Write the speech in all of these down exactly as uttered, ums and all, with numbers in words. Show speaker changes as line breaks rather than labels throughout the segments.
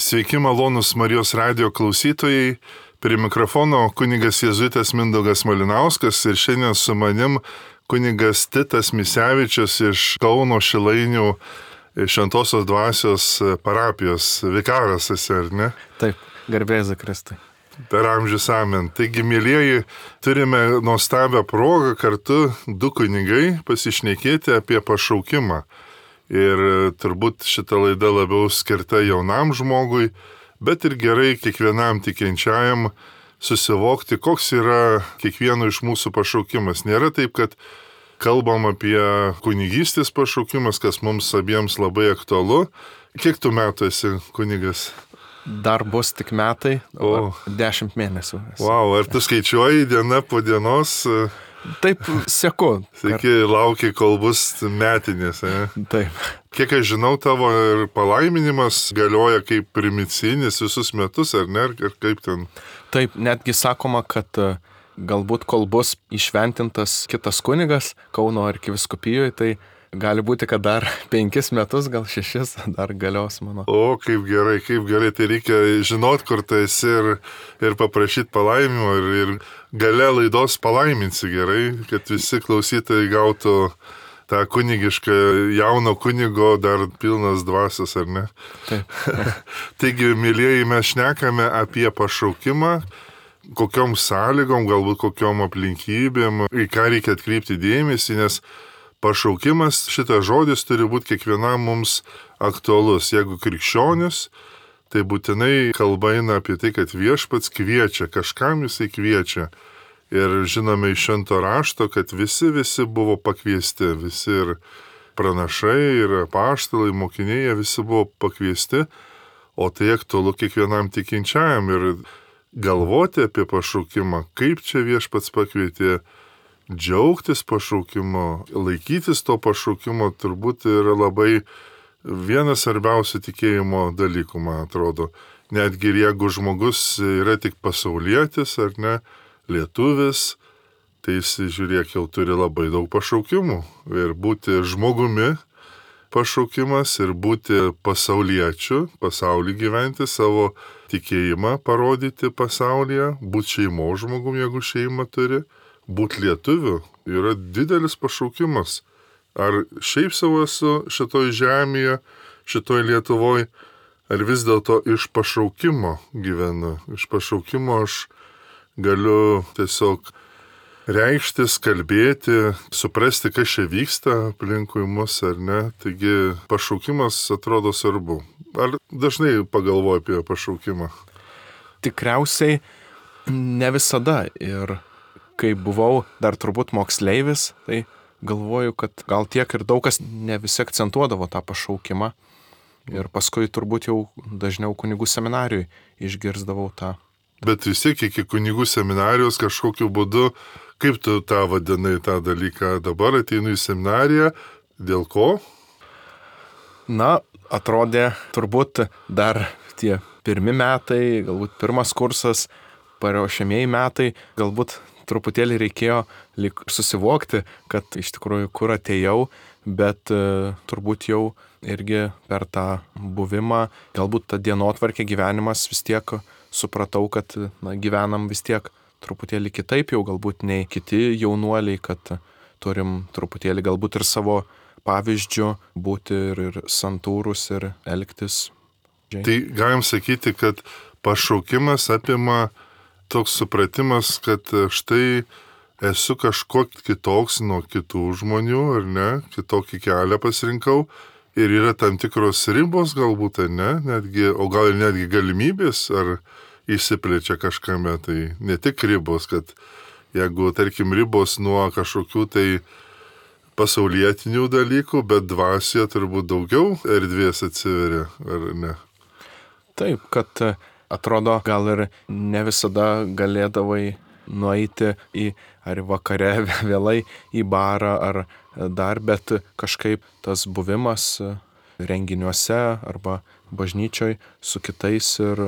Sveiki malonus Marijos radijo klausytojai, prie mikrofono kunigas jėzuitas Mindaugas Malinauskas ir šiandien su manim kunigas Titas Misevičius iš Kauno Šilainių Šventosios dvasios parapijos vikaras esi, ar ne?
Taip, garbėza Kristui.
Per amžius amen. Taigi, mėlyjeji, turime nuostabią progą kartu du kunigai pasišnekėti apie pašaukimą. Ir turbūt šita laida labiau skirta jaunam žmogui, bet ir gerai kiekvienam tikinčiajam susivokti, koks yra kiekvieno iš mūsų pašaukimas. Nėra taip, kad kalbam apie kunigystės pašaukimas, kas mums abiems labai aktualu. Kiek tu metų esi kunigas?
Dar bus tik metai, o, o dešimt mėnesių.
Wow, ar tu skaičiuoji diena po dienos?
Taip, seku.
Sakai, laukia, kol bus metinės. Ne?
Taip.
Kiek aš žinau, tavo ir palaiminimas galioja kaip primicinis visus metus, ar ne? Ir kaip ten?
Taip, netgi sakoma, kad galbūt kol bus išventintas kitas kunigas Kauno arkivyskupijoje, tai gali būti, kad dar penkis metus, gal šešis dar galios mano.
O, kaip gerai, kaip gerai. Tai reikia žinot, kur tu esi ir, ir paprašyti palaiminimo ir, ir gale laidos palaiminsi gerai, kad visi klausytojai gautų tą kunigišką jauno kunigo dar pilnas dvasios, ar ne?
Taip.
Taigi, mėlyjeji, mes šnekame apie pašaukimą, kokiom sąlygom, galbūt kokiom aplinkybėm, į ką reikia atkreipti dėmesį, nes pašaukimas, šitas žodis turi būti kiekvienam mums aktualus. Jeigu krikščionis, tai būtinai kalba eina apie tai, kad viešpats kviečia, kažkam jisai kviečia. Ir žinome iš švento rašto, kad visi, visi buvo pakviesti, visi ir pranašai, ir apaštalai, mokiniai, jie visi buvo pakviesti, o tai aktualu kiekvienam tikinčiajam ir galvoti apie pašaukimą, kaip čia viešpats pakvietė, džiaugtis pašaukimo, laikytis to pašaukimo turbūt yra labai vienas svarbiausių tikėjimo dalykų, man atrodo. Netgi ir jeigu žmogus yra tik pasaulietis ar ne, lietuvis, tai jis, žiūrėk, jau turi labai daug pašaukimų. Ir būti žmogumi pašaukimas ir būti pasauliečiu, pasaulį gyventi, savo tikėjimą parodyti pasaulyje, būti šeimos žmogum, jeigu šeimą turi. Būti lietuviu yra didelis pašaukimas. Ar šiaip savo esu šitoj žemėje, šitoj Lietuvoj, ar vis dėlto iš pašaukimo gyvenu. Iš pašaukimo aš galiu tiesiog reikštis, kalbėti, suprasti, kas čia vyksta aplinkui mus ar ne. Taigi pašaukimas atrodo svarbu. Ar dažnai pagalvoji apie pašaukimą?
Tikriausiai ne visada. Ir kai buvau dar turbūt moksleivis, tai galvoju, kad gal tiek ir daug kas ne visi akcentuodavo tą pašaukimą. Ir paskui turbūt jau dažniau kunigų seminarijui išgirsdavau tą.
Bet vis tiek iki kunigų seminarijos kažkokiu būdu, kaip tu tą vadinai tą dalyką, dabar ateinu į seminariją, dėl ko?
Na, atrodė turbūt dar tie pirmi metai, galbūt pirmas kursas, paruošiamieji metai, galbūt truputėlį reikėjo lyg susivokti, kad iš tikrųjų kur atėjau, bet e, turbūt jau irgi per tą buvimą, galbūt tą dienotvarkę gyvenimas vis tiek supratau, kad na, gyvenam vis tiek truputėlį kitaip jau, galbūt nei kiti jaunuoliai, kad turim truputėlį galbūt ir savo pavyzdžių būti ir, ir santūrus ir elgtis.
Tai galim sakyti, kad pašaukimas apima toks supratimas, kad štai esu kažko kitoks nuo kitų žmonių, ar ne, kitokį kelią pasirinkau ir yra tam tikros ribos galbūt, ar ne, netgi, o gal ir netgi galimybės, ar išsiplečia kažkame, tai ne tik ribos, kad jeigu, tarkim, ribos nuo kažkokių tai pasaulietinių dalykų, bet dvasioje turbūt daugiau erdvės atsiveria, ar ne?
Taip, kad atrodo, gal ir ne visada galėdavai nueiti į ar vakare vėlai į barą ar dar, bet kažkaip tas buvimas renginiuose arba bažnyčioj su kitais ir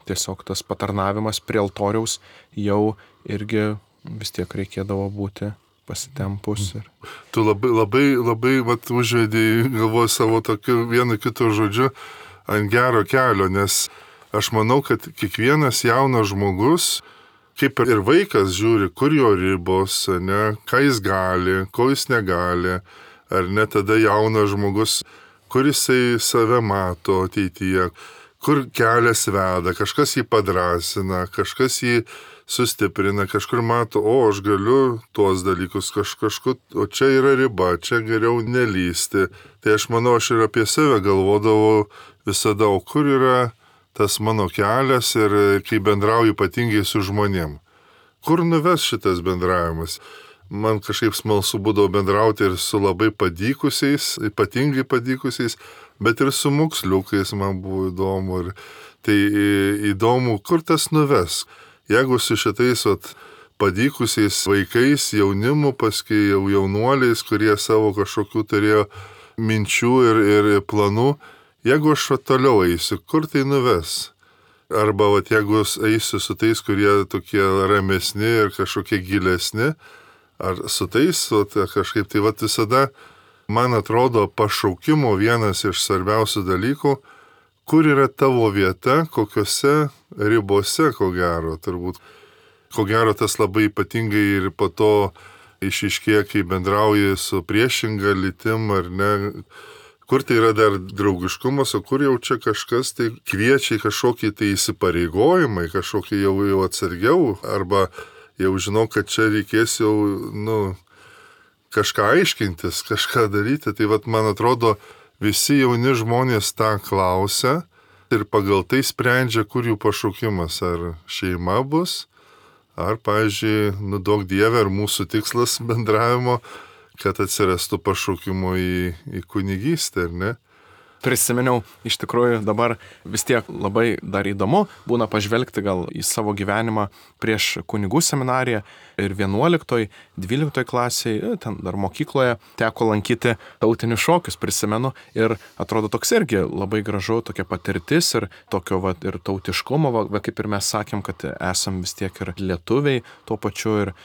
tiesiog tas patarnavimas prie altoriaus jau irgi vis tiek reikėdavo būti pasitempus. Ir...
Tu labai, labai, labai vat, užvedėjai galvoju savo tokiu vienu kitu žodžiu ant gero kelio, nes aš manau, kad kiekvienas jaunas žmogus, kaip ir vaikas žiūri, kur jo ribos, ne, ką jis gali, ko jis negali, ar ne tada jaunas žmogus, kur jisai save mato ateityje, kur kelias veda, kažkas jį padrasina, kažkas jį sustiprina, kažkur mato, o aš galiu tuos dalykus kaž, kažkur, o čia yra riba, čia geriau nelysti. Tai aš manau, aš ir apie save galvodavau visada, o kur yra tas mano kelias ir kai bendrauju ypatingai su žmonėm. Kur nuves šitas bendravimas? Man kažkaip smalsu būdavo bendrauti ir su labai padykusiais, ypatingai padykusiais, bet ir su moksliukais man buvo įdomu. Ir tai įdomu, kur tas nuves. Jeigu su šitais vat, padykusiais vaikais, jaunimu, paskui jau jaunuoliais, kurie savo kažkokių turėjo minčių ir, ir planų, jeigu aš vat, toliau eisiu, kur tai nuves? Arba vat, jeigu eisiu su tais, kurie tokie ramesni ir kažkokie gilesni, ar su tais vat, kažkaip tai vat, visada, man atrodo, pašaukimo vienas iš svarbiausių dalykų, kur yra tavo vieta, kokiose ribose, ko gero, turbūt. Ko gero tas labai ypatingai ir po to išiškėja, kai bendrauji su priešinga lytim, ar ne, kur tai yra dar draugiškumas, o kur jau čia kažkas tai kviečia kažkokį tai įsipareigojimai, kažkokį jau, jau atsargiau, arba jau žinau, kad čia reikės jau, nu, kažką aiškintis, kažką daryti. Tai vat, man atrodo, visi jauni žmonės tą klausia ir pagal tai sprendžia, kur jų pašaukimas, ar šeima bus, ar, pavyzdžiui, nu, duok Dieve, ar mūsų tikslas bendravimo, kad atsirastų pašaukimo į, į kunigystę, ar ne?
Prisiminiau, iš tikrųjų dabar vis tiek labai dar įdomu būna pažvelgti gal į savo gyvenimą prieš kunigų seminariją ir vienuoliktoj, dvyliktoj klasėje, ten dar mokykloje teko lankyti tautinius šokius, prisimenu, ir atrodo toks irgi labai gražu, tokia patirtis ir tokio va, ir tautiškumo, va, kaip ir mes sakėm, kad esam vis tiek ir lietuviai tuo pačiu ir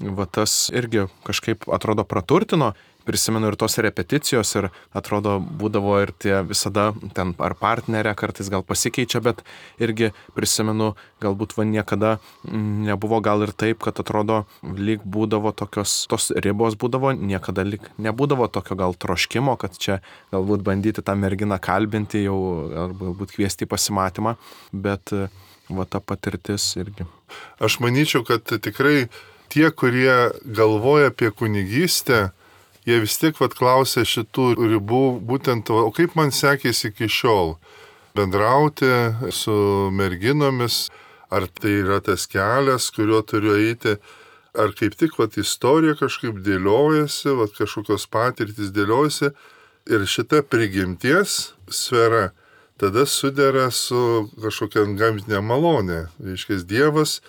va, tas irgi kažkaip atrodo praturtino. Prisimenu ir tos repeticijos ir atrodo būdavo ir tie visada ten ar partnerė kartais gal pasikeičia, bet irgi prisimenu, galbūt va niekada nebuvo gal ir taip, kad atrodo lyg būdavo tokios, tos ribos būdavo, niekada lyg nebūdavo tokio gal troškimo, kad čia galbūt bandyti tą merginą kalbinti jau, arba galbūt kviesti į pasimatymą, bet va ta patirtis irgi.
Aš manyčiau, kad tikrai tie, kurie galvoja apie kunigystę, jie vis tiek vat klausia šitų ribų, būtent, o kaip man sekėsi iki šiol bendrauti su merginomis, ar tai yra tas kelias, kuriuo turiu eiti, ar kaip tik vat istorija kažkaip dėliojasi, vat kažkokios patirtys dėliojasi ir šita prigimties sfera tada sudera su kažkokia gamtinė malonė. Reiškia, Dievas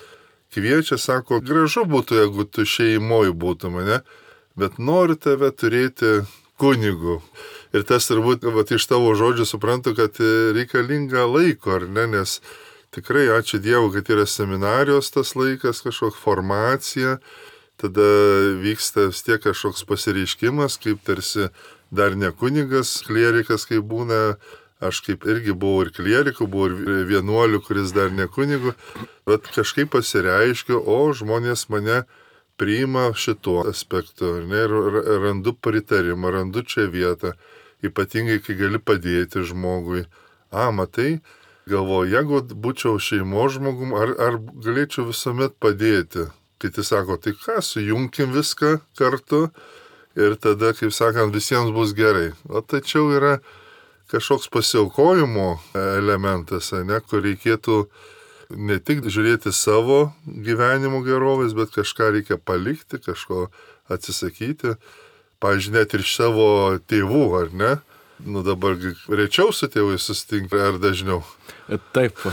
kviečia, sako, gražu būtų, jeigu tu šeimoj būtum, ne? Bet noriu tave turėti kunigu. Ir tas turbūt, vat, iš tavo žodžių suprantu, kad reikalinga laiko, ar ne, nes tikrai ačiū Dievui, kad yra seminarijos tas laikas, kažkokia formacija, tada vyksta vis tiek kažkoks pasireiškimas, kaip tarsi dar ne kunigas, klierikas, kaip būna, aš kaip irgi buvau ir klierikų, buvau ir vienuolių, kuris dar ne kunigu, bet kažkaip pasireiškiu, o žmonės mane priima šituo aspektu, ne, ir randu pritarimą, randu čia vietą, ypatingai, kai gali padėti žmogui. A, matai, galvoju, jeigu būčiau šeimos žmogum, ar, ar galėčiau visuomet padėti. Kiti sako, tai ką, sujungkim viską kartu ir tada, kaip sakant, visiems bus gerai. O tačiau yra kažkoks pasiaukojimo elementas, ne, kur reikėtų ne tik žiūrėti savo gyvenimo gerovės, bet kažką reikia palikti, kažko atsisakyti. Pavyzdžiui, net ir savo tėvų, ar ne? Nu dabar rečiau su tėvai susitinka, ar dažniau?
Taip,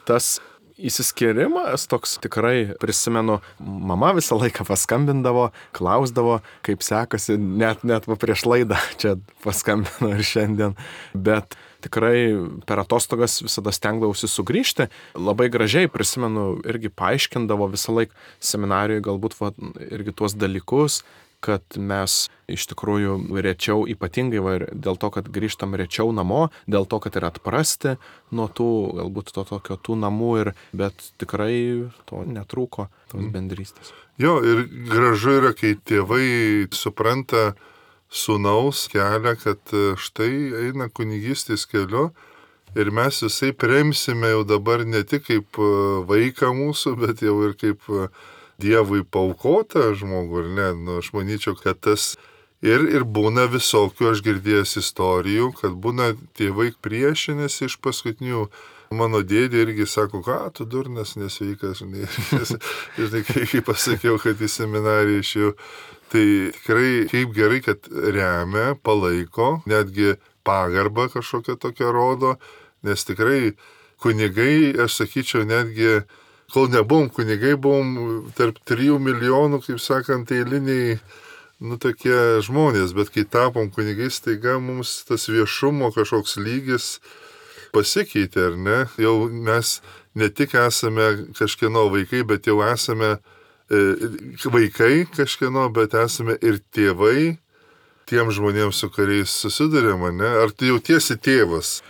tas įsiskirimas toks tikrai, prisimenu, mama visą laiką paskambindavo, klausdavo, kaip sekasi, net, net prieš laidą čia paskambino ir šiandien, bet tikrai per atostogas visada stengdavausi sugrįžti. Labai gražiai, prisimenu, irgi paaiškindavo visą laiką seminarijoje galbūt va, irgi tuos dalykus, kad mes iš tikrųjų rečiau, ypatingai va, dėl to, kad grįžtam rečiau namo, dėl to, kad ir atprasti nuo tų, galbūt to tokio tų namų, ir, bet tikrai to netrūko, tos bendrystės.
Jo, ir gražu yra, kai tėvai supranta sūnaus kelią, kad štai eina kunigystės keliu ir mes visai remsime jau dabar ne tik kaip vaiką mūsų, bet jau ir kaip Dievui paaukotą žmogų, ir ne, nu, aš manyčiau, kad tas ir, ir būna visokių, aš girdėjęs istorijų, kad būna tėvai priešinasi iš paskutinių. Mano dėdė irgi sako, ką, tu durnas, nesveikas, žinai, žinai, kai pasakiau, kad į seminariją išėjau. Tai tikrai kaip gerai, kad remia, palaiko, netgi pagarbą kažkokią tokią rodo, nes tikrai kunigai, aš sakyčiau, netgi, kol nebuvom kunigai, buvom tarp trijų milijonų, kaip sakant, eiliniai, nu, tokie žmonės, bet kai tapom kunigais, taiga mums tas viešumo kažkoks lygis pasikeitė, ar ne? Jau mes ne tik esame kažkieno vaikai, bet jau esame vaikai kažkieno, bet esame ir tėvai tiem žmonėms, su kuriais susidurėm, ne? Ar tu jautiesi tėvas?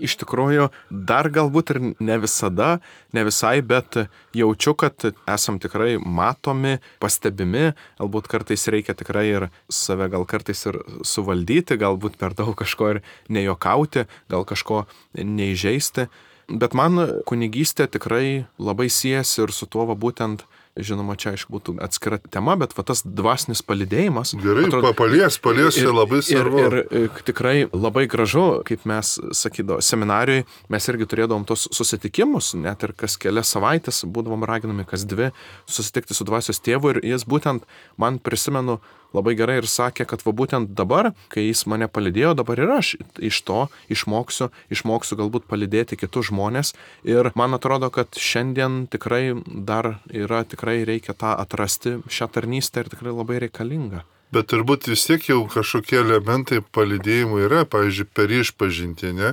Iš tikrųjų, dar galbūt ir ne visada, ne visai, bet jaučiu, kad esam tikrai matomi, pastebimi, galbūt kartais reikia tikrai ir save gal kartais ir suvaldyti, galbūt per daug kažko ir nejokauti, gal kažko neįžeisti. Bet man kunigystė tikrai labai siejasi ir su tuo va būtent, žinoma, čia aišku būtų atskira tema, bet va tas dvasinis palydėjimas.
Gerai, atrodo, palies, palies, čia labai svarbu.
Ir, ir, ir tikrai labai gražu, kaip mes sakydavo, seminarijoje mes irgi turėdavom tos susitikimus, net ir kas kelias savaitės būdavom raginami kas dvi susitikti su dvasios tėvu, ir jis būtent, man prisimenu, labai gerai ir sakė, kad va būtent dabar, kai jis mane palydėjo, dabar ir aš iš to išmoksiu, išmoksiu galbūt palydėti kitus žmonės. Ir man atrodo, kad šiandien tikrai dar yra, tikrai reikia tą atrasti, šią tarnystę, ir tikrai labai reikalinga.
Bet turbūt vis tiek jau kažkokie elementai palydėjimų yra, pavyzdžiui, per išpažintį, ne?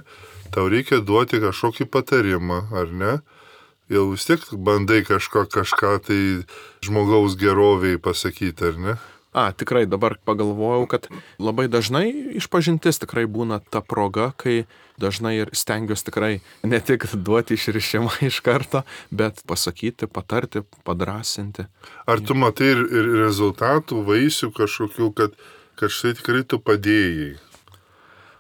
Tau reikia duoti kažkokį patarimą, ar ne? Jau vis tiek bandai kažko, kažką tai žmogaus geroviai pasakyti, ar ne?
A, tikrai dabar pagalvojau, kad labai dažnai išpažintis tikrai būna ta proga, kai dažnai ir stengiuosi tikrai ne tik duoti išrišimą iš karto, bet pasakyti, patarti, padrasinti.
Ar tu matai ir, ir rezultatų, vaisių kažkokių, kad, kad štai tikrai tu padėjai?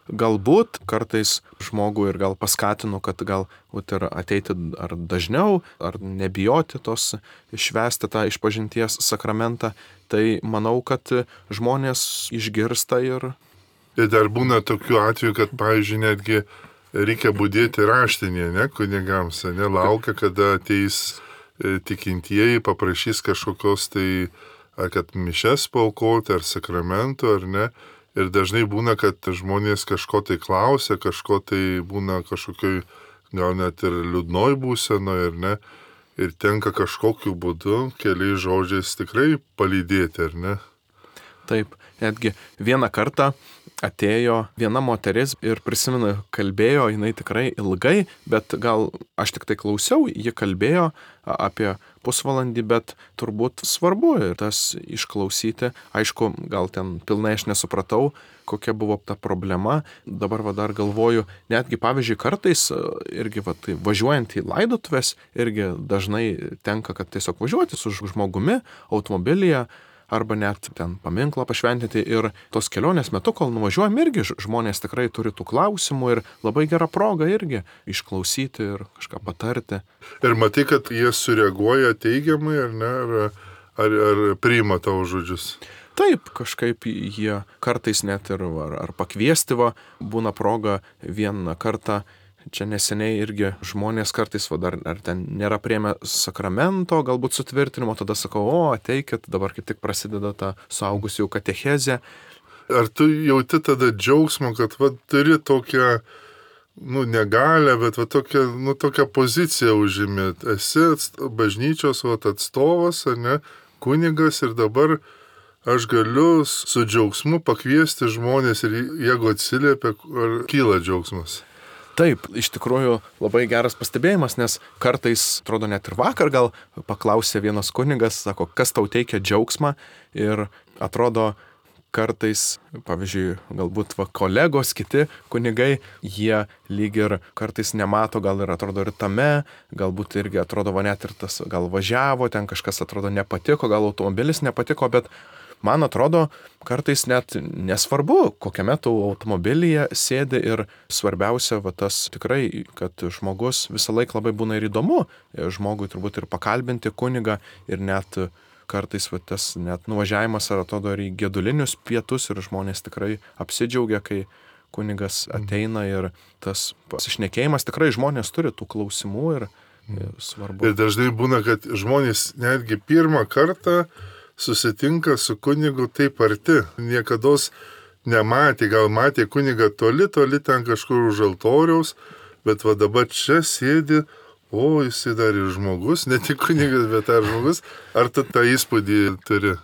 Galbūt kartais žmogų ir gal paskatinu, kad gal būt, ir ateiti ar dažniau, ar nebijoti tos švęsti tą išpažinties sakramentą. Tai manau, kad žmonės išgirsta ir...
Ir dar būna tokių atvejų, kad, pavyzdžiui, netgi reikia budėti raštinėje, ne, kunigams, ne, laukia, kada ateis tikintieji, paprašys kažkokios tai, ar kad mišes paaukoti, ar sakramentų, ar ne. Ir dažnai būna, kad žmonės kažko tai klausia, kažko tai būna kažkokioj, gal net ir liūdnoj būsenoje, ir ne. Ir tenka kažkokiu būdu, keliais žodžiais tikrai palydėti, ar ne?
Taip, netgi vieną kartą atėjo viena moteris ir prisimenu, kalbėjo, jinai tikrai ilgai, bet gal aš tik tai klausiau, ji kalbėjo apie pusvalandį, bet turbūt svarbu ir tas išklausyti. Aišku, gal ten pilnai aš nesupratau, kokia buvo ta problema. Dabar va dar galvoju, netgi pavyzdžiui kartais irgi va, tai, važiuojant į laidotuves, irgi dažnai tenka, kad tiesiog važiuoti su žmogumi automobilyje, arba net ten paminklą pašventinti, ir tos kelionės metu, kol nuvažiuojam, irgi žmonės tikrai turi tų klausimų ir labai gera proga irgi išklausyti ir kažką patarti.
Ir matai, kad jie sureaguoja teigiamai, ar ne, ar, ar, ar priima tavo žodžius?
Taip, kažkaip jie kartais net ir ar, ar pakviesti va, būna proga vieną kartą. Čia neseniai irgi žmonės kartais, va, dar ar ten nėra priėmę sakramento, galbūt sutvirtinimo, tada sakau, o ateikit, dabar kaip tik prasideda ta suaugusių katechezė.
Ar tu jauti tada džiaugsmą, kad va, turi tokią, nu, negalę, bet va, tokią, nu, tokią poziciją užimi. Esi bažnyčios va, atstovas, ar ne, kunigas, ir dabar aš galiu su džiaugsmu pakviesti žmonės, ir jeigu atsiliepia, ar kyla džiaugsmas?
Taip, iš tikrųjų labai geras pastebėjimas, nes kartais, atrodo, net ir vakar gal paklausė vienas kunigas, sako, kas tau teikia džiaugsmą, ir atrodo kartais, pavyzdžiui, galbūt va, kolegos, kiti kunigai, jie lyg ir kartais nemato, gal ir atrodo ir tame, galbūt irgi atrodo va net ir tas, gal važiavo, ten kažkas atrodo nepatiko, gal automobilis nepatiko, bet man atrodo, kartais net nesvarbu, kokiame tu automobilyje sėdi ir svarbiausia, va tas tikrai, kad žmogus visą laiką labai būna ir įdomu, žmogui turbūt ir pakalbinti kunigą ir net kartais va, tas net nuvažiavimas ar atrodo ir į gedulinius pietus ir žmonės tikrai apsidžiaugia, kai kunigas ateina ir tas pasišnekėjimas, tikrai žmonės turi tų klausimų ir, ir svarbu.
Ir dažnai būna, kad žmonės netgi pirmą kartą susitinka su kunigu taip arti, niekados nematė, gal matė kunigą toli, toli ten kažkur už altoriaus, bet va dabar čia sėdi, o jisai dar ir žmogus, ne tik kunigas, bet ar žmogus, ar tu tą įspūdį turi?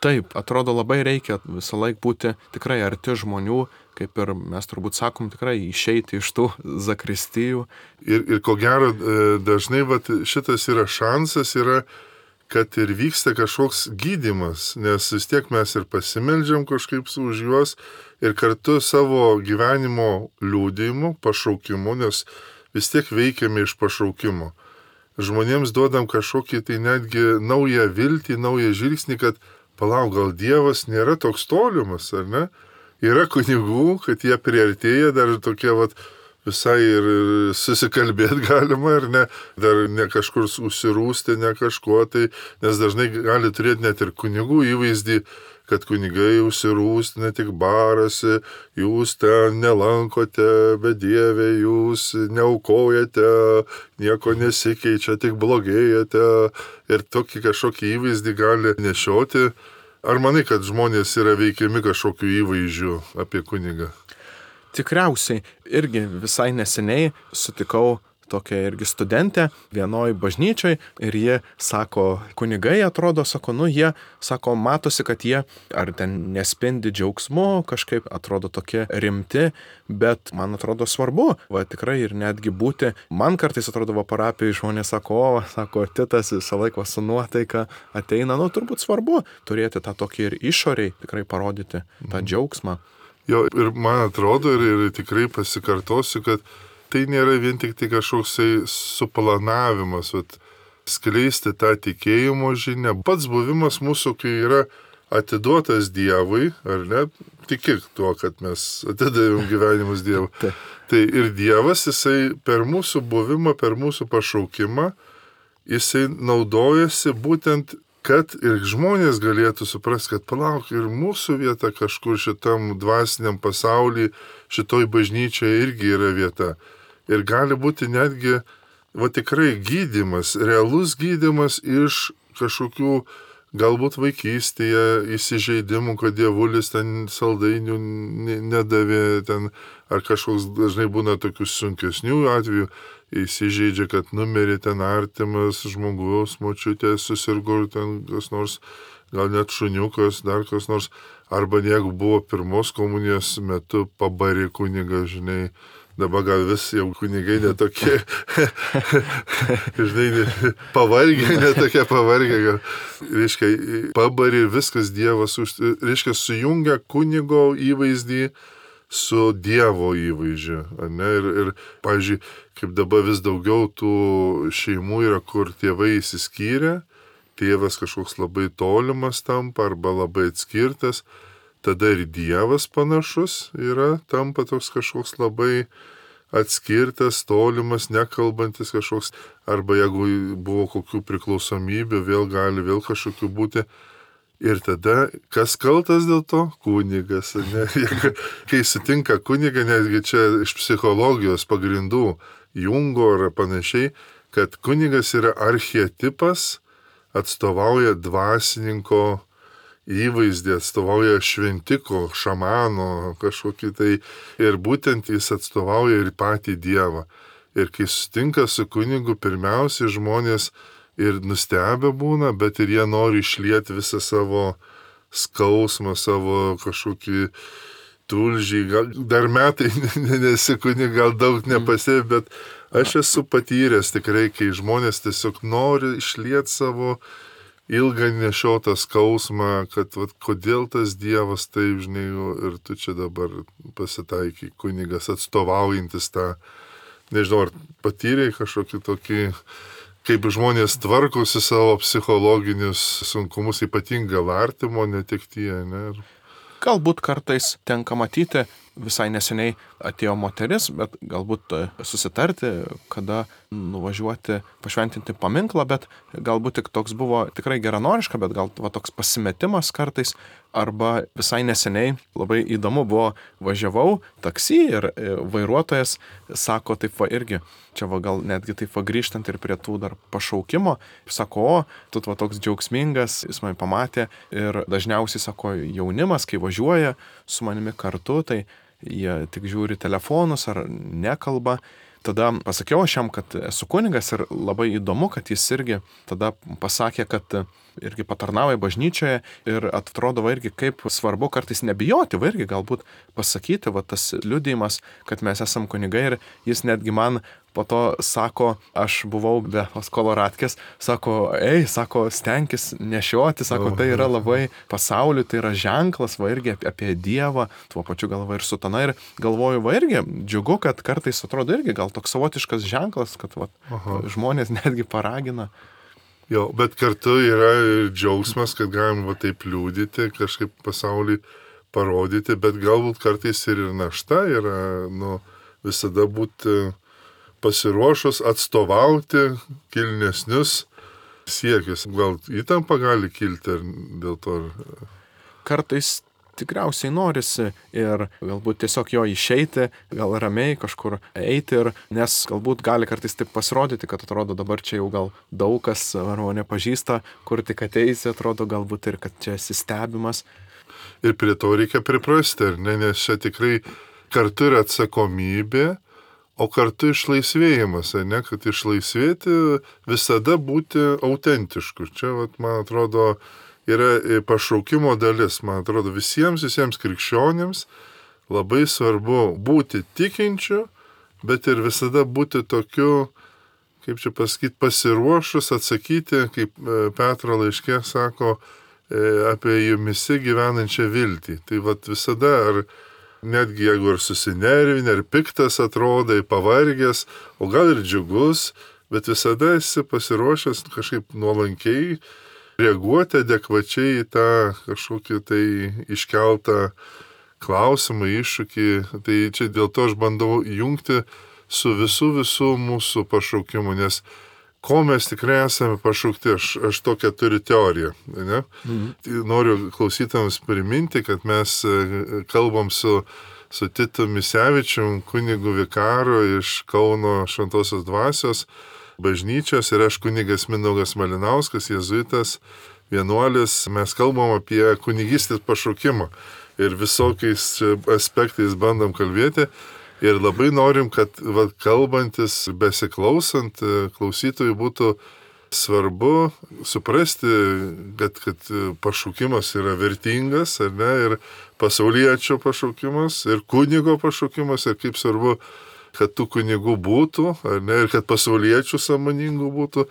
Taip, atrodo labai reikia visą laiką būti tikrai arti žmonių, kaip ir mes turbūt sakom, tikrai išeiti iš tų zakristijų.
Ir, ir ko gero, dažnai vat, šitas yra šansas, yra kad ir vyksta kažkoks gydymas, nes vis tiek mes ir pasimeldžiam kažkaip už juos ir kartu savo gyvenimo liudijimu, pašaukimu, nes vis tiek veikiame iš pašaukimo. Žmonėms duodam kažkokį tai netgi naują viltį, naują žvilgsnį, kad palauk, gal Dievas nėra toks tolimas, ar ne? Yra kunigų, kad jie priartėja, dar tokie vat visai ir susikalbėti galima, ar ne, dar ne kažkur užsirūsti, ne kažkuo tai, nes dažnai gali turėti net ir kunigų įvaizdį, kad kunigai užsirūsti, ne tik barasi, jūs ten nelankote, bet Dieve, jūs neaukojate, nieko nesikeičia, tik blogėjate ir tokį kažkokį įvaizdį gali nešioti. Ar manai, kad žmonės yra veikiami kažkokiu įvaizdžiu apie kunigą?
Tikriausiai, irgi visai neseniai sutikau tokia irgi studentė vienoj bažnyčioj ir jie sako, kunigai atrodo, sako, nu jie, sako, matosi, kad jie ar ten nespindi džiaugsmu, kažkaip atrodo tokie rimti, bet man atrodo svarbu, va tikrai ir netgi būti, man kartais atrodo va parapijai žmonės sako, o, sako, Titas visą laiką su nuotaika ateina, nu turbūt svarbu turėti tą tokį ir išoriai tikrai parodyti tą džiaugsmą.
Jo, ir man atrodo, ir, ir tikrai pasikartosiu, kad tai nėra vien tik tai kažkoksai suplanavimas, vat, skleisti tą tikėjimo žinią. Pats buvimas mūsų, kai yra atiduotas Dievui, ar ne, tikėk tuo, kad mes atidavėm gyvenimus Dievui. Tai ir Dievas, jisai per mūsų buvimą, per mūsų pašaukimą, jisai naudojasi būtent, kad ir žmonės galėtų suprasti, kad palauk, ir mūsų vieta kažkur šitam dvasiniam pasaulyje, šitoj bažnyčioje irgi yra vieta. Ir gali būti netgi, va tikrai gydymas, realus gydymas iš kažkokių galbūt vaikystėje įsižeidimų, kad dievulis ten saldainių nedavė, ten, ar kažkoks dažnai būna tokių sunkesnių atvejų, įsižeidžia, kad numirė ten artimas žmogus, močiutė susirgo, ten kas nors, gal net šuniukas, dar kas nors, arba jeigu buvo pirmos komunijos metu pabarė kunigą, žinai, dabar gal vis jau kunigai netokie, žinai, pavargę, netokie pavargę, gal, reiškia, pabarė ir viskas Dievas, reiškia, sujungia kunigo įvaizdį su Dievo įvaizdžiu, ne, ir, ir, pavyzdžiui, kaip dabar vis daugiau tų šeimų yra, kur tėvai įsiskyrė, tėvas kažkoks labai tolimas tampa arba labai atskirtas, tada ir Dievas panašus yra, tampa toks kažkoks labai atskirtas, tolimas, nekalbantis kažkoks, arba jeigu buvo kokių priklausomybių, vėl gali vėl kažkokių būti. Ir tada, kas kaltas dėl to? Kunigas. Ne? Kai sutinka kunigą, netgi čia iš psichologijos pagrindų, Jungo ar panašiai, kad kunigas yra archetipas, atstovauja dvasininko įvaizdį, atstovauja šventiko, šamano kažkokį tai, ir būtent jis atstovauja ir patį Dievą. Ir kai sutinka su kunigu, pirmiausiai žmonės ir nustebę būna, bet ir jie nori išlieti visą savo skausmą, savo kažkokį tulžį, gal, dar metai nesikuni, gal daug nepasėvi, bet aš esu patyręs tikrai, kai žmonės tiesiog nori išlieti savo ilgą nešiotą skausmą, kad vat, kodėl tas Dievas taip, žinai, ir tu čia dabar pasitaikai, kunigas atstovaujantis tą, nežinau, ar patyrei kažkokį tokį, kaip žmonės tvarkosi savo psichologinius sunkumus, ypatingą artimo netektyje, ne?
Galbūt kartais tenka matyti, visai neseniai atėjo moteris, bet galbūt susitarti, kada nuvažiuoti, pašventinti paminklą, bet galbūt tik toks buvo tikrai geranoriška, bet gal va, toks pasimetimas kartais, arba visai neseniai labai įdomu buvo, važiavau taksi ir vairuotojas sako taip va irgi, čia va gal netgi taip va grįžtant ir prie tų dar pašaukimo, sako, o, tu va toks džiaugsmingas, jis mane pamatė ir dažniausiai sako jaunimas, kai važiuoja su manimi kartu, tai jie tik žiūri telefonus ar nekalba. Tada pasakiau aš jam, kad esu kunigas ir labai įdomu, kad jis irgi tada pasakė, kad irgi patarnauja bažnyčioje ir atrodo va irgi kaip svarbu kartais nebijoti, va irgi galbūt pasakyti, va tas liudijimas, kad mes esam kunigai ir jis netgi man po to sako, aš buvau be koloratkės, sako, ei, sako, stenkis nešioti, sako, tai yra labai pasauliu, tai yra ženklas, va irgi apie Dievą, tuo pačiu galva ir sutana ir galvoju, va irgi džiugu, kad kartais atrodo irgi gal toks savotiškas ženklas, kad va, žmonės netgi paragina.
Jo, bet kartu yra džiaugsmas, kad galim va taip liūdyti, kažkaip pasaulį parodyti, bet galbūt kartais ir našta yra, nu, visada būti pasiruošus atstovauti kilnesnius siekius. Gal įtampa gali kilti ir dėl to.
Kartais tikriausiai norisi ir galbūt tiesiog jo išeiti, gal ramiai kažkur eiti, ir, nes galbūt gali kartais taip pasirodyti, kad atrodo dabar čia jau gal daug kas arba nepažįsta, kur tik ateisi, atrodo galbūt ir kad čia esi stebimas.
Ir prie to reikia priprasti, ar ne, nes čia tikrai kartu yra atsakomybė, o kartu išlaisvėjimas, ar ne, kad išlaisvėti visada būti autentišku. Čia, vat, man atrodo, yra pašaukimo dalis, man atrodo, visiems, visiems krikščionims labai svarbu būti tikinčiu, bet ir visada būti tokiu, kaip čia pasakyti, pasiruošus atsakyti, kaip Petro laiške sako, apie jumisi gyvenančią viltį. Tai vat visada, ar netgi jeigu ir susinervinę, ar piktas atrodai, pavargęs, o gal ir džiugus, bet visada esi pasiruošęs kažkaip nuolankiai reaguoti adekvačiai į tą kažkokį tai iškeltą klausimą, iššūkį. Tai čia dėl to aš bandau jungti su visų visų mūsų pašaukimu, nes ko mes tikrai esame pašaukti, aš, aš tokią turiu teoriją. Ne? Mhm. Noriu klausytams priminti, kad mes kalbam su, su Titu Misevičium, kunigu vikaru iš Kauno Šventosios dvasios bažnyčios, ir aš kunigas Mindaugas Malinauskas, jėzuitas, vienuolis. Mes kalbam apie kunigystės pašaukimą ir visokiais aspektais bandom kalbėti. Ir labai norim, kad va, kalbantis, besiklausant, klausytojui būtų svarbu suprasti, kad, kad pašaukimas yra vertingas, ar ne, ir pasauliečio pašaukimas, ir kunigo pašaukimas, ir kaip svarbu, kad tų kunigų būtų, ar ne, ir kad pasauliečių sąmoningų būtų,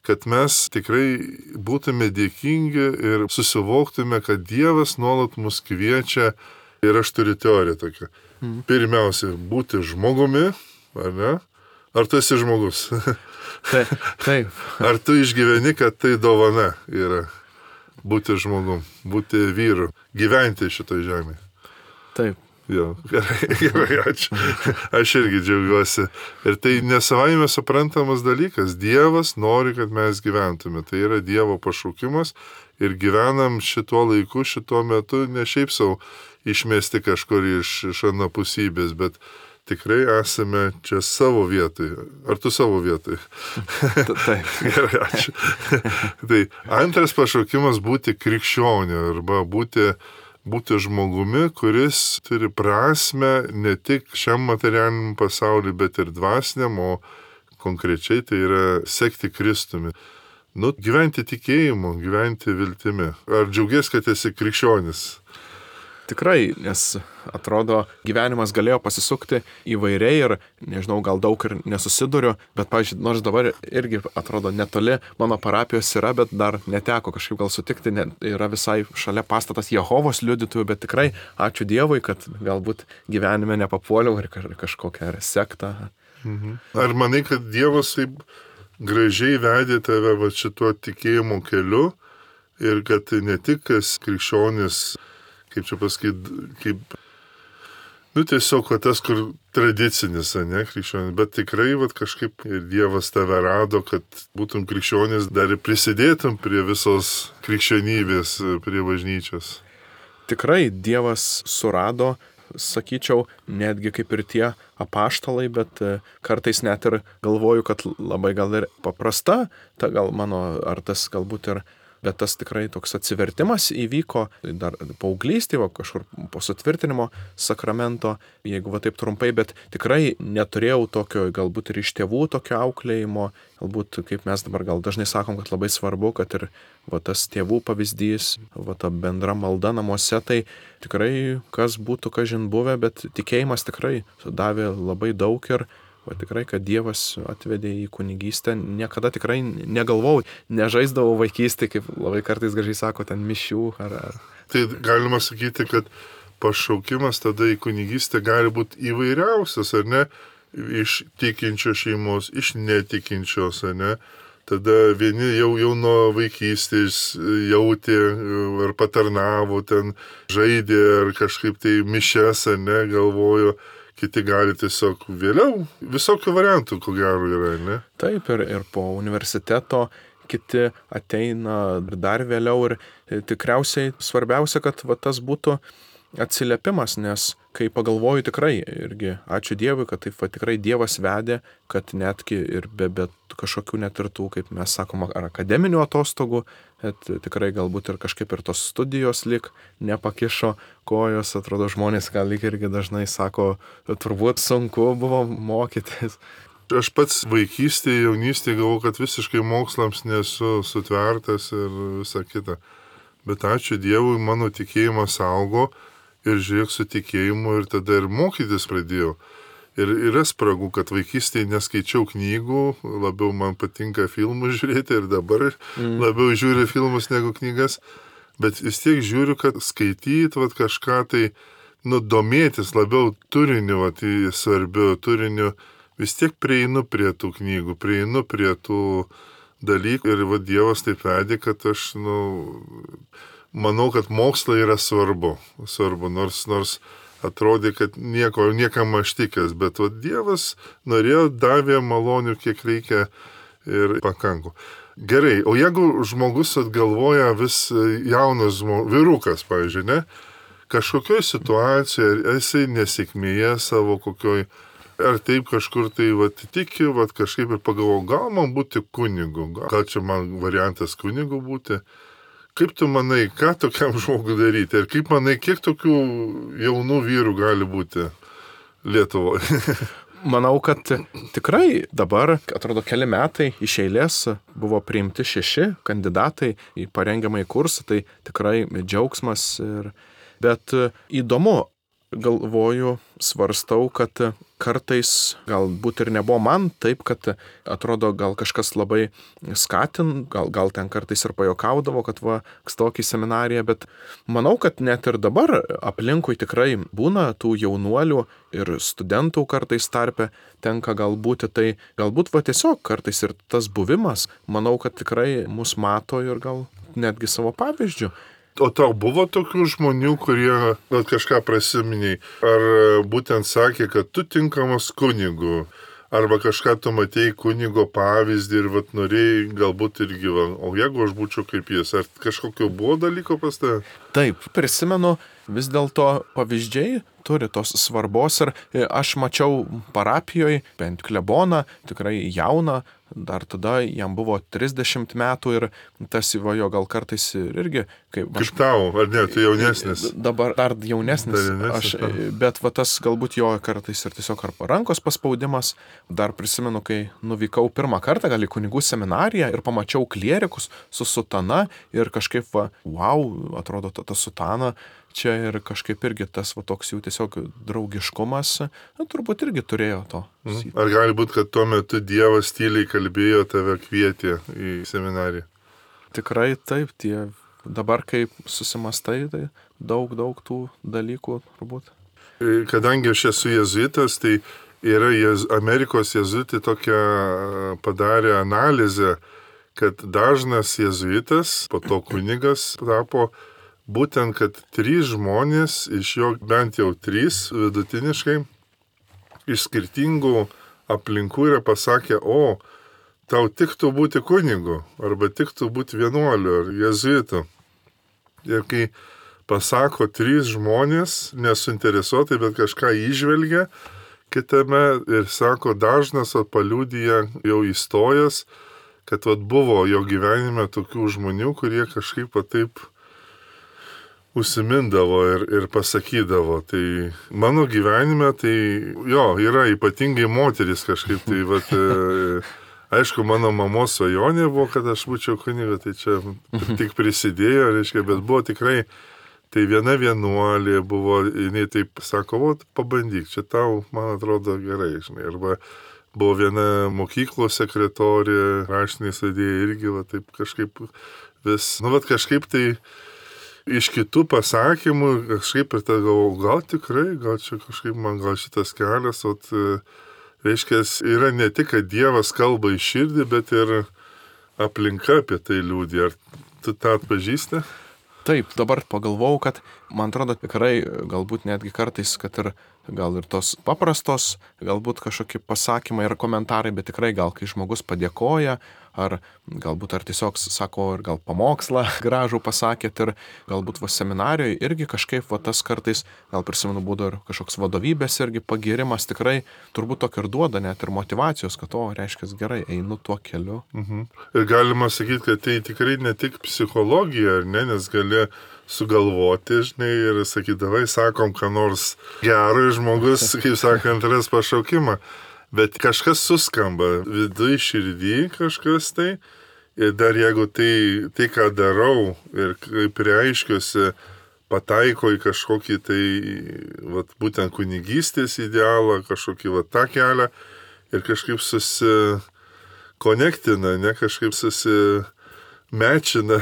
kad mes tikrai būtume dėkingi ir susivoktume, kad Dievas nuolat mus kviečia. Ir aš turiu teoriją tokią. Mm. Pirmiausia, būti žmogumi, ar ne? Ar tu esi žmogus?
Taip. Taip.
Ar tu išgyveni, kad tai dovana yra būti žmogum, būti vyru, gyventi šitoj žemėje?
Taip.
Jo, gerai, gerai, ačiū. Aš irgi džiaugiuosi. Ir tai nesavaime suprantamas dalykas. Dievas nori, kad mes gyventume. Tai yra Dievo pašaukimas ir gyvenam šituo laiku, šituo metu, ne šiaip savo išmesti kažkur iš, iš anapusybės, bet tikrai esame čia savo vietoj. Ar tu savo vietoj?
Taip.
Gerai, ačiū. Tai antras pašaukimas būti krikščioniu arba būti būti žmogumi, kuris turi prasme ne tik šiam materialiniam pasauliu, bet ir dvasiniam, o konkrečiai tai yra sekti Kristumi. Nu, gyventi tikėjimu, gyventi viltimi. Ar džiaugies, kad esi krikščionis?
Tikrai, nes atrodo, gyvenimas galėjo pasisukti įvairiai ir, nežinau, gal daug ir nesusiduriu, bet, pavyzdžiui, nors dabar irgi atrodo netoli mano parapijos yra, bet dar neteko kažkaip gal sutikti, ne, yra visai šalia pastatas Jehovos liudytojų, bet tikrai ačiū Dievui, kad galbūt gyvenime nepapuoliau ir kažkokią sektą.
Mhm. Ar manai, kad Dievas taip gražiai vedė tave va šituo tikėjimo keliu ir kad ne tik krikščionis, kaip čia pasakyti, kaip, nu tiesiog va, tas, kur tradicinis, ne, krikščionis, bet tikrai va, kažkaip ir Dievas tave rado, kad būtum krikščionis, dar ir prisidėtum prie visos krikščionybės, prie bažnyčios.
Tikrai Dievas surado, sakyčiau, netgi kaip ir tie apaštalai, bet kartais net ir galvoju, kad labai gal ir paprasta, ta gal mano, ar tas galbūt ir, bet tas tikrai toks atsivertimas įvyko dar paauglystėje, va, kažkur po sutvirtinimo sakramento, jeigu va taip trumpai, bet tikrai neturėjau tokio, galbūt ir iš tėvų tokio auklėjimo, galbūt kaip mes dabar gal dažnai sakom, kad labai svarbu, kad ir va tas tėvų pavyzdys, va ta bendra malda namuose, tai tikrai kas būtų kažin buvę, bet tikėjimas tikrai davė labai daug ir va tikrai, kad Dievas atvedė į kunigystę, niekada tikrai negalvojau, nežaisdavau vaikystėje, kaip labai kartais gražiai sako, ten mišių ar... ar.
Tai galima sakyti, kad pašaukimas tada į kunigystę gali būti įvairiausias, ar ne? Iš tikinčios šeimos, iš netikinčios, ar ne? Tada vieni jau, jau nuo vaikystės jautė ar patarnavo, ten žaidė ar kažkaip tai mišias, ar ne, galvojo. Kiti gali tiesiog vėliau, visokių variantų, ko gero yra, ne?
Taip, ir, ir po universiteto kiti ateina dar vėliau ir tikriausiai svarbiausia, kad va, tas būtų atsiliepimas, nes kai pagalvoju tikrai, irgi ačiū Dievui, kad taip va, tikrai Dievas vedė, kad netgi ir be, be kažkokių net ir tų, kaip mes sakom, ar akademinių atostogų, bet tikrai galbūt ir kažkaip ir tos studijos lik nepakišo kojos, atrodo žmonės gal lyg irgi dažnai sako, turbūt sunku buvo mokytis.
Aš pats vaikystėje, jaunystėje galvoju, kad visiškai mokslams nesu sutvertas ir visa kita. Bet ačiū Dievui, mano tikėjimas augo ir žiūrėk su tikėjimu ir tada ir mokytis pradėjau. Ir yra spragų, kad vaikystėje neskaičiau knygų, labiau man patinka filmus žiūrėti ir dabar mm. labiau žiūriu filmus negu knygas, bet vis tiek žiūriu, kad skaityti vat, kažką tai, nu, domėtis labiau turiniu, vat, svarbiu turiniu, vis tiek prieinu prie tų knygų, prieinu prie tų dalykų ir vat, Dievas taip vedė, kad aš, nu, manau, kad mokslai yra svarbu, svarbu, nors, nors atrodė, kad nieko, niekam aš tikęs, bet vat, Dievas norėjo, davė malonių, kiek reikia ir pakanku. Gerai, o jeigu žmogus atgalvoja vis jaunas žmogus, vyrukas, pavyzdžiui, ne, kažkokioj situacijoje, esi nesėkmėje savo kokioj, ar taip kažkur tai vat, tiki, vat, kažkaip ir pagalvoju, gal man būti kunigu, gal čia man variantas kunigu būti. Kaip tu manai, ką tokiam žmogui daryti? Ir kaip manai, kiek tokių jaunų vyrų gali būti Lietuvoje?
Manau, kad tikrai dabar, atrodo, keli metai iš eilės buvo priimti šeši kandidatai į parengiamąjį kursą, tai tikrai džiaugsmas. Ir... Bet įdomu, galvoju, svarstau, kad kartais galbūt ir nebuvo man taip, kad atrodo gal kažkas labai skatin, gal, gal ten kartais ir pajokaudavo, kad va, stok į seminariją, bet manau, kad net ir dabar aplinkui tikrai būna tų jaunuolių ir studentų kartais tarpe tenka galbūt, tai galbūt va tiesiog kartais ir tas buvimas, manau, kad tikrai mus mato ir gal netgi savo pavyzdžių.
O tau buvo tokių žmonių, kurie vat, kažką prasiminiai, ar būtent sakė, kad tu tinkamas kunigu, arba kažką tu matėjai kunigo pavyzdį ir vat, norėjai galbūt irgi, va, o jeigu aš būčiau kaip jis, ar kažkokio buvo dalyko pas tave?
Taip, prisimenu, vis dėlto pavyzdžiai turi tos svarbos ir aš mačiau parapijoje, bent kleboną, tikrai jauną, dar tada jam buvo trisdešimt metų ir tas įvajo gal kartais ir irgi.
Kaip, kaip tau, ar ne, tu jaunesnis?
Dabar dar jaunesnis, dar jaunesnis aš, bet va tas galbūt jo kartais ir tiesiog ar rankos paspaudimas. Dar prisimenu, kai nuvykau pirmą kartą gal į kunigų seminariją ir pamačiau klierikus su sutana ir kažkaip, va, wow, atrodo ta, ta sutana. Čia ir kažkaip irgi tas va, toks jų tiesiog draugiškumas, na, turbūt irgi turėjo to.
Ar gali būti, kad tuo metu Dievas tyliai kalbėjo, tave kvietė į seminariją?
Tikrai taip, tie dabar kaip susimastai, tai daug, daug tų dalykų turbūt.
Kadangi aš esu jezuitas, tai yra jez, Amerikos jezuitai tokią padarė analizę, kad dažnas jezuitas, po to kunigas tapo, būtent, kad trys žmonės, iš jo bent jau trys vidutiniškai, iš skirtingų aplinkų yra pasakę, o, tau tiktų būti kunigu, arba tiktų būti vienuoliu ar jezuitu. Ir kai pasako trys žmonės, nesuinteresuotai, bet kažką įžvelgia kitame ir sako, dažnas paliudyja jau įstojęs, kad vat, buvo jo gyvenime tokių žmonių, kurie kažkaip va, taip užsimindavo ir, ir pasakydavo. Tai mano gyvenime, tai jo, yra ypatingai moteris kažkaip. Tai, vat, e, aišku, mano mamos svajonė buvo, kad aš būčiau kuniga, tai čia tik prisidėjo, reiškia, bet buvo tikrai, tai viena vienuolė buvo, jinai taip sako, o, pabandyk, čia tau, man atrodo, gerai, žinai, arba buvo viena mokyklos sekretorė, raštiniai sėdėjai irgi, va, taip kažkaip vis, nu, vat kažkaip tai iš kitų pasakymų, kažkaip ir tada galvojau, gal tikrai, gal čia kažkaip man gal šitas kelias, o reiškia, yra ne tik, kad Dievas kalba į širdį, bet ir aplinka apie tai liūdė. Ar tu tą atpažįsti?
Taip, dabar pagalvojau, kad man atrodo tikrai, galbūt netgi kartais, kad ir gal ir tos paprastos, galbūt kažkokie pasakymai ir komentarai, bet tikrai gal kai žmogus padėkoja, ar galbūt ar tiesiog sako ir gal pamokslą gražų pasakėt ir galbūt va seminarijoje irgi kažkaip va tas kartais, gal prisimenu būdo ir kažkoks vadovybės irgi pagirimas tikrai turbūt tokio ir duoda net ir motyvacijos, kad o, reiškia gerai, einu tuo keliu.
Mhm. Ir galima sakyti, kad tai tikrai ne tik psichologija, ar ne, nes gali sugalvoti, žinai, ir sakydavai, sakom, ką nors gero žmogus, kaip sakant, ras pašaukimą. Bet kažkas suskamba, viduje širdį kažkas tai, ir dar jeigu tai, tai ką darau ir kaip reiškiuosi, pataiko į kažkokį tai, vat, būtent kunigystės idealą, kažkokį vat, tą kelią, ir kažkaip susikonektina, ne, kažkaip susimečina,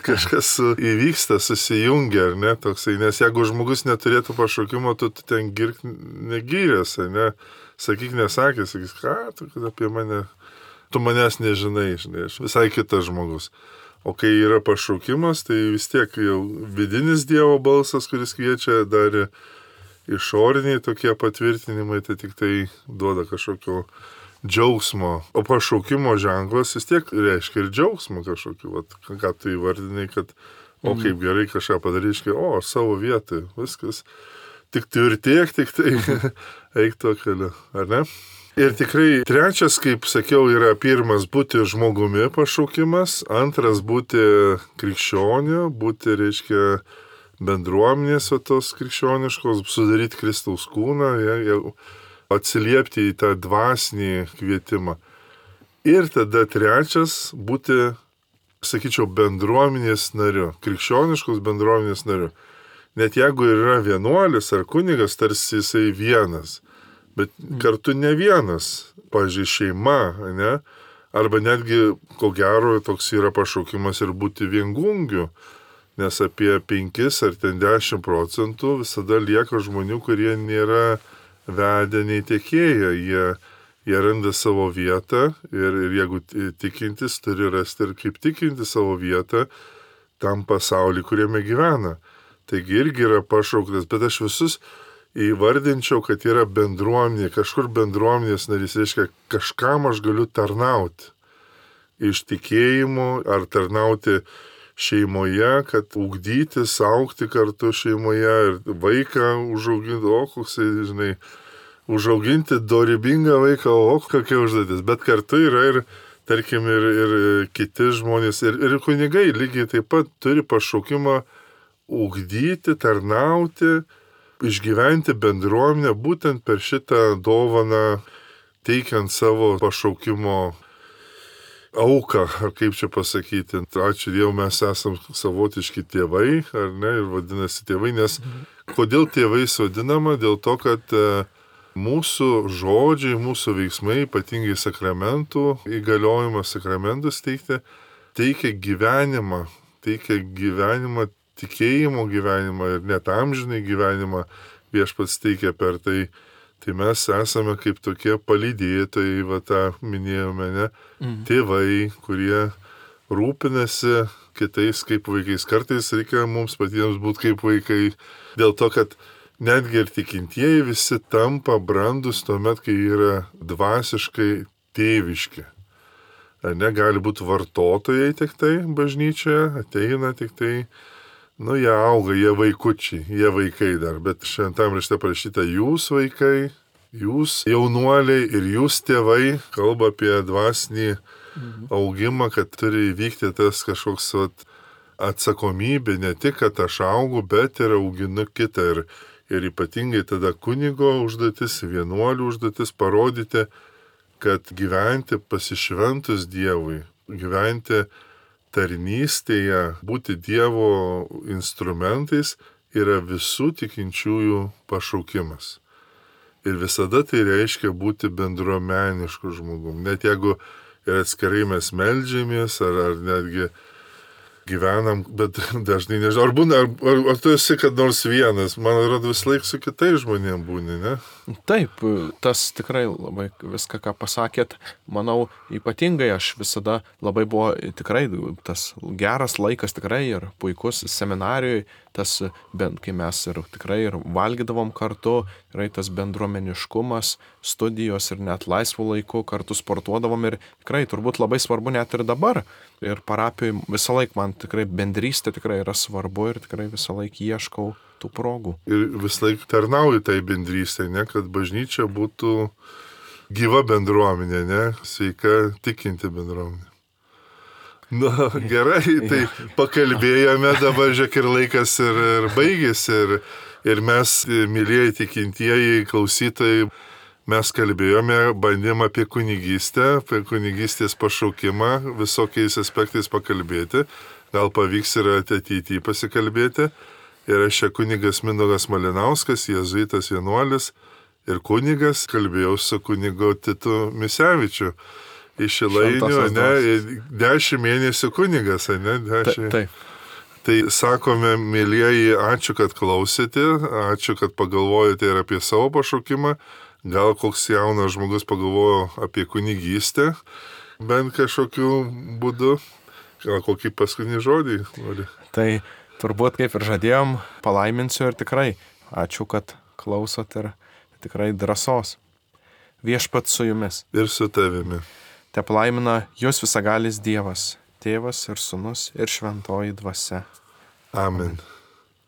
kažkas įvyksta, susijungia, ar ne, toksai, nes jeigu žmogus neturėtų pašaukimo, tu, tu ten girk negyrės, ne, sakyk nesakė, sakys, ką, tu apie mane, tu manęs nežinai, žinai, aš visai kitas žmogus. O kai yra pašaukimas, tai vis tiek jau vidinis Dievo balsas, kuris kviečia, dar išoriniai tokie patvirtinimai, tai tik tai duoda kažkokio džiaugsmo. O pašaukimo ženklas vis tiek reiškia ir džiaugsmo kažkokį, vat, ką tu įvardinai, kad o kaip gerai kažką padaryškai, o aš savo vietoj, viskas. Tik tu ir tiek, tik tai eik tuo keliu, ar ne? Ir tikrai trečias, kaip sakiau, yra pirmas būti žmogumi pašaukimas, antras būti krikščioniu, būti, reiškia, bendruomenės tos krikščioniškos, sudaryti Kristaus kūną, ja, atsiliepti į tą dvasinį kvietimą. Ir tada trečias būti, sakyčiau, bendruomenės nariu, krikščioniškos bendruomenės nariu. Net jeigu yra vienuolis ar kunigas, tarsi jisai vienas, bet kartu ne vienas, pavyzdžiui, šeima, ne? Arba netgi, ko gero, toks yra pašaukimas ir būti viengungiu, nes apie penkis ar ten dešimt procentų visada lieka žmonių, kurie nėra vedeniai tiekėjai, jie, jie randa savo vietą ir, ir jeigu tikintis, turi rasti ir kaip tikinti savo vietą tam pasauliu, kuriame gyvena. Taigi irgi yra pašauktas, bet aš visus įvardinčiau, kad yra bendruomenė, kažkur bendruomenės narys, reiškia, kažkam aš galiu tarnauti. Iš tikėjimo ar tarnauti šeimoje, kad ugdytis, augti kartu šeimoje ir vaiką užauginti, o koksai, žinai, užauginti dorybingą vaiką, o kokia užduotis. Bet kartu yra ir, tarkim, ir, ir kiti žmonės, ir, ir kunigai lygiai taip pat turi pašaukimą ugdyti, tarnauti, išgyventi bendruomenę būtent per šitą dovaną, teikiant savo pašaukimo auką, ar kaip čia pasakyti. Ačiū Dievui, mes esam savotiški tėvai, ar ne, ir vadinasi tėvai, nes kodėl tėvais vadinama? Dėl to, kad mūsų žodžiai, mūsų veiksmai, ypatingai sakramentų, įgaliojimas sakramentus teikti, teikia gyvenimą, teikia gyvenimą, tikėjimo gyvenimą ir net amžinai gyvenimą Viešpats teikia per tai. Tai mes esame kaip tokie palydėtojai, va tą minėjome, ne? Mm. Tėvai, kurie rūpinasi kitais kaip vaikais. Kartais reikia mums patiems būti kaip vaikai, dėl to, kad netgi ir tikintieji visi tampa brandus tuomet, kai yra dvasiškai tėviški. Ar ne, gali būti vartotojai tik tai bažnyčioje, ateina tik tai, nu, jie auga, jie vaikučiai, jie vaikai dar, bet šventam rašte parašyta jūs vaikai, jūs jaunuoliai ir jūs tėvai, kalba apie dvasinį mhm. augimą, kad turi įvykti tas kažkoks vat, atsakomybė, ne tik, kad aš augu, bet ir auginu kitą. Ir, ir ypatingai tada kunigo užduotis, vienuolių užduotis parodyti, kad gyventi pasišventus Dievui, gyventi tarnystėje, būti Dievo instrumentais yra visų tikinčiųjų pašaukimas. Ir visada tai reiškia būti bendruomenišku žmogum. Net jeigu ir atskirai mes meldžiamės, ar, ar netgi gyvenam, bet dažnai nežinau, ar būna, ar, ar, ar tu esi kad nors vienas, man atrodo vis laik su kitais žmonėm būni, ne?
Taip, tas tikrai labai viską, ką pasakėt, manau, ypatingai aš visada labai buvo tikrai tas geras laikas tikrai ir puikus seminarijoje, tas, bent kai mes ir tikrai ir valgydavom kartu, yra tas bendruomeniškumas, studijos ir net laisvų laikų kartu sportuodavom ir tikrai turbūt labai svarbu net ir dabar. Ir parapijoje visą laiką man tikrai bendrystė tikrai yra svarbu ir tikrai visą laiką ieškau tų progų.
Ir visą laiką tarnauju tai bendrystė, ne, kad bažnyčia būtų gyva bendruomenė, ne, sveika tikinti bendruomenė. Na, gerai, tai pakalbėjome, dabar žiūrėk ir laikas ir, ir baigėsi ir, ir mes, mylėjai tikintieji klausytojai, mes kalbėjome, bandėm apie kunigystę, apie kunigystės pašaukimą, visokiais aspektais pakalbėti. Gal pavyks ir ateityje pasikalbėti. Ir aš čia kunigas Mindaugas Malinauskas, jėzuitas vienuolis ir kunigas, kalbėjau su kunigu Titu Misevičiu iš Šilainių, ne, dešimt mėnesių kunigas, ne, dešimt.
Taip.
Tai sakome, mėlyjeji, ačiū, kad klausėte, ačiū, kad pagalvojate ir apie savo pašaukimą. Gal koks jaunas žmogus pagalvojo apie kunigystę, bent kažkokiu būdu, gal kokį paskutinį žodį. Nori.
Tai turbūt kaip ir žadėjom, palaiminsiu ir tikrai ačiū, kad klausot ir tikrai drąsos. Viešpats su jumis.
Ir su tavimi.
Te palaimina jūs visagalis Dievas, Tėvas ir Sūnus ir Šventoji Dvasia.
Amen.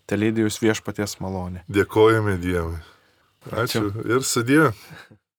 Te lydi jūs viešpaties malonė.
Dėkojame Dievui. Ačiū. Ačiū. Ir sudie.